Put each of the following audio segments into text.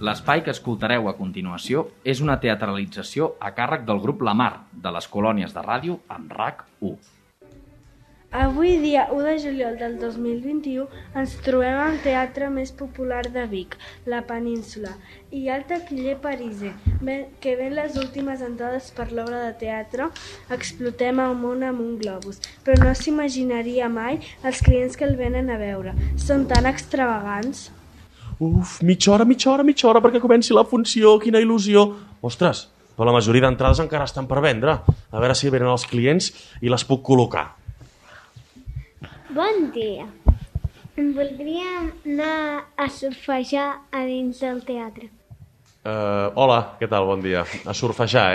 L'espai que escoltareu a continuació és una teatralització a càrrec del grup La Mar, de les colònies de ràdio amb RAC1. Avui, dia 1 de juliol del 2021, ens trobem al teatre més popular de Vic, la Península. Hi ha el taquiller pariser, que ven les últimes entrades per l'obra de teatre Explotem el món amb un globus, però no s'imaginaria mai els clients que el venen a veure. Són tan extravagants. Uf, mitja hora perquè comenci la funció, quina il·lusió. Ostres, però la majoria d'entrades encara estan per vendre. A veure si venen els clients i les puc col·locar. Bon dia. Voldríem anar a surfejar a dins del teatre. Hola, què tal? Bon dia. A surfejar,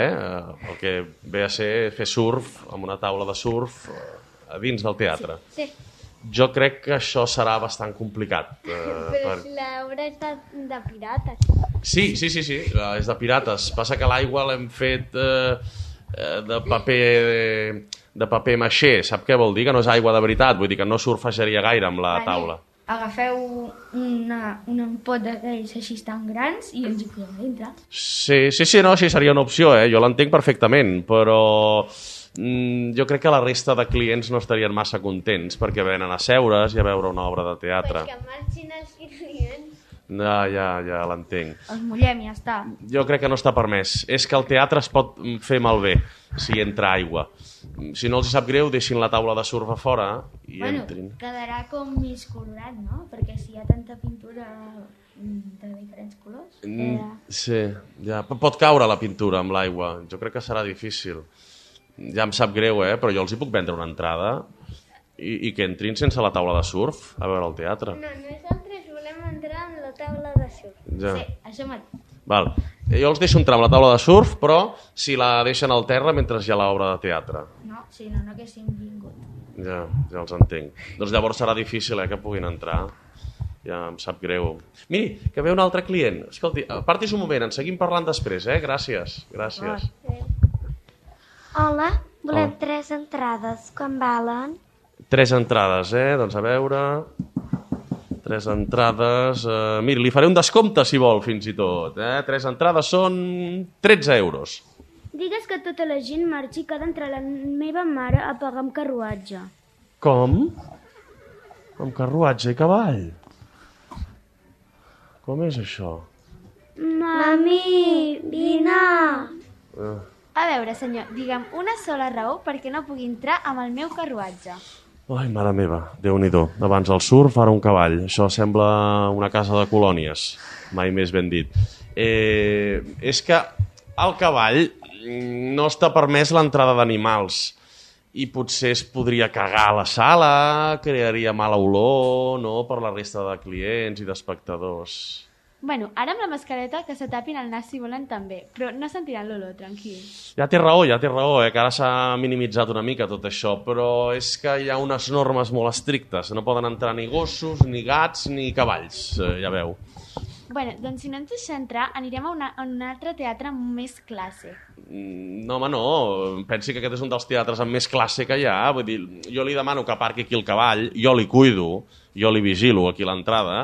el que ve a ser fer surf amb una taula de surf a dins del teatre. Sí. Jo crec que això serà bastant complicat. Però si l'obra és de pirates. Sí, és de pirates. Passa que l'aigua l'hem fet de paper maixé. Sap què vol dir? Que no és aigua de veritat. Vull dir que no surfejaria gaire amb la taula. Agafeu un pot d'aquells així tan grans i ens hi podem dintre. Sí, no, sí, seria una opció, jo l'entenc perfectament, però jo crec que la resta de clients no estarien massa contents perquè venen a seure's i a veure una obra de teatre. Perquè marxin els clients. Ja l'entenc. Els mullem i ja està. Jo crec que no està permès. És que el teatre es pot fer malbé si entra aigua. Si no els sap greu, deixin la taula de surf a fora i entrin. Quedarà com més colorat, no? Perquè si hi ha tanta pintura de diferents colors... Sí, ja. Pot caure la pintura amb l'aigua. Jo crec que serà difícil. Ja em sap greu, però jo els hi puc vendre una entrada i que entrin sense la taula de surf a veure el teatre. No, nosaltres volem entrar en la taula de surf. Ja. Sí, això mateix. Val. Jo els deixo entrar amb la taula de surf, però si la deixen al terra mentre hi ha l'obra de teatre. No, si no haguéssim vingut. Ja els entenc. Doncs llavors serà difícil que puguin entrar. Ja em sap greu. Miri, que ve un altre client. Escolti, apartis un moment, en seguim parlant després, Gràcies. Hola, volem 3 entrades. Quan valen? 3 entrades, Doncs a veure... 3 entrades... Miri, li faré un descompte, si vol, fins i tot. 3 entrades són 13 euros. Digues que tota la gent marxi que ha d'entrar la meva mare a pagar amb carruatge. Com? Amb carruatge i cavall? Com és això? Mami, vine! A veure, senyor, digue'm una sola raó perquè no pugui entrar amb el meu carruatge. Ai, mare meva, Déu-n'hi-do. Abans el surf, ara un cavall. Això sembla una casa de colònies. Mai més ben dit. És que al cavall no està permès l'entrada d'animals i potser es podria cagar a la sala, crearia mala olor, no?, per la resta de clients i d'espectadors. Bueno, ara amb la mascareta que se tapin el nas si volen també, però no sentiran l'olor, tranquil. Ja té raó, que ara s'ha minimitzat una mica tot això, però és que hi ha unes normes molt estrictes. No poden entrar ni gossos, ni gats, ni cavalls, ja veu. Bueno, doncs si no ens deixa entrar, anirem a un altre teatre amb més classe. No, home, no. Pensi que aquest és un dels teatres amb més classe que hi ha. Vull dir, jo li demano que aparqui aquí el cavall, jo li cuido, jo li vigilo aquí a l'entrada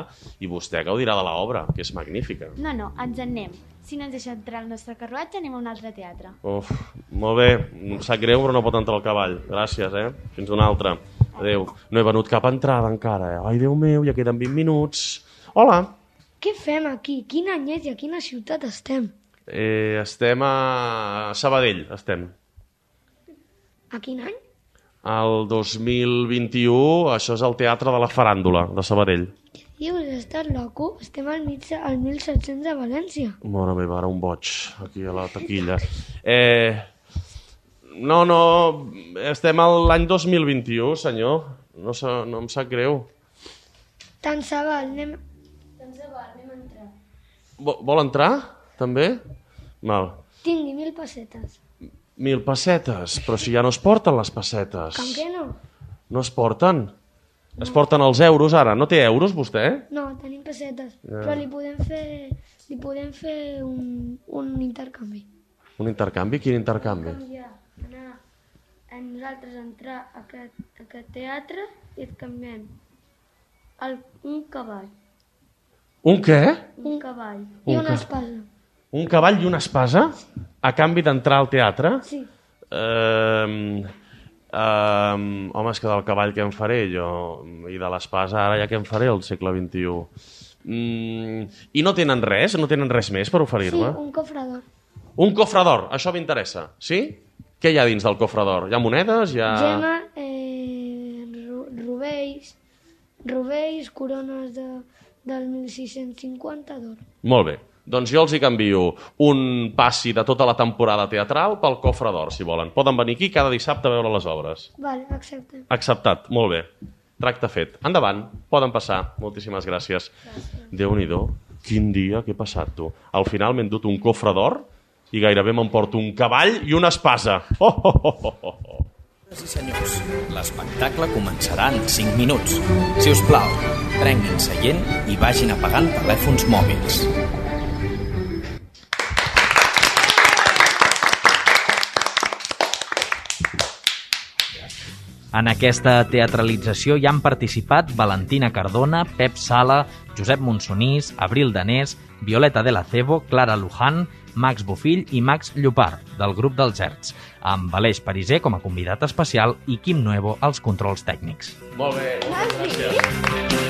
i vostè gaudirà de l'obra, que és magnífica. No, ens en anem. Si no ens deixa entrar el nostre carruatge, anem a un altre teatre. Uf, molt bé. Em sap greu, però no pot entrar el cavall. Gràcies, Fins una altra. Adéu. No he venut cap entrada encara, Ai, Déu meu, ja queden 20 minuts. Hola. Què fem aquí? Quin any és i a quina ciutat estem? Estem a Sabadell, estem. A quin any? El 2021, això és el Teatre de la Faràndula, de Sabadell. Dius, estàs loco? Estem al 1700 de València. Mare meva, ara un boig, aquí a la taquilla. No, estem a l'any 2021, senyor. No em sap greu. Tant se val, anem a entrar. Vol entrar, també? Mal. Tingui 1.000 pessetes. 1.000 pessetes? Però si ja no es porten les pessetes. Com que no? No es porten? No. Es porten els euros ara. No té euros, vostè? No, tenim pessetes. Ja. Però li podem fer un intercanvi. Un intercanvi? Quin intercanvi? Nosaltres entrar a aquest teatre i et canviem un cavall. Un què? Un cavall. I una espasa. Un cavall i una espasa a canvi d'entrar al teatre? Sí. Home, és que del cavall què em faré jo? I de l'espasa ara ja què em faré al segle XXI? I no tenen res? No tenen res més per oferir-me? Sí, un cofre d'or. Un cofre d'or, això m'interessa, sí? Què hi ha dins del cofre d'or? Hi ha monedes? Hi ha... Gemma, rovells, corones del 1650 d'or. Molt bé. Doncs jo els hi canvio un passi de tota la temporada teatral pel cofre d'or, si volen. Poden venir aquí cada dissabte a veure les obres. Vale, accepte. Acceptat, molt bé. Tracte fet. Endavant, poden passar. Moltíssimes gràcies. Déu-n'hi-do, quin dia que he passat, tu. Al final m'he endut un cofre d'or i gairebé m'emporto un cavall i una espasa. Senyores i senyors, l'espectacle començarà en 5 minuts. Si us plau, prenguin seient i vagin apagant telèfons mòbils. En aquesta teatralització hi han participat Valentina Cardona, Pep Sala, Josep Monsonís, Abril Danés, Violeta de la Cebo, Clara Luján, Max Bofill i Max Llopart, del grup dels Erts, amb Aleix Pariser com a convidat especial i Quim Nuevo als controls tècnics. Molt bé, moltes gràcies.